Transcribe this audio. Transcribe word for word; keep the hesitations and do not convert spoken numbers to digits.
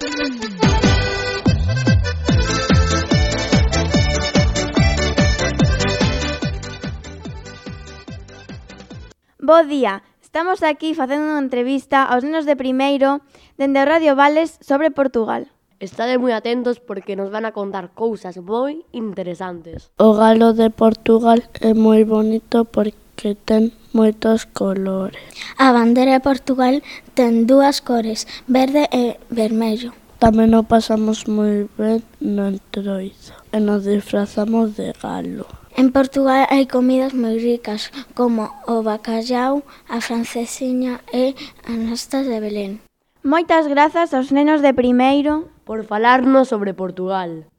Bo día, estamos aquí facendo unha entrevista aos nenos de primeiro dende o Radio Vales sobre Portugal. Estade moi atentos porque nos van a contar cousas moi interesantes. O galo de Portugal é moi bonito porque ten moitos colores. A bandeira de Portugal ten dúas cores, verde e vermello. Tamén o pasamos moi ben no Entroido e nos disfrazamos de galo. En Portugal hai comidas moi ricas, como o bacallau, a francesiña e as nastas de Belén. Moitas grazas aos nenos de primeiro por falarnos sobre Portugal.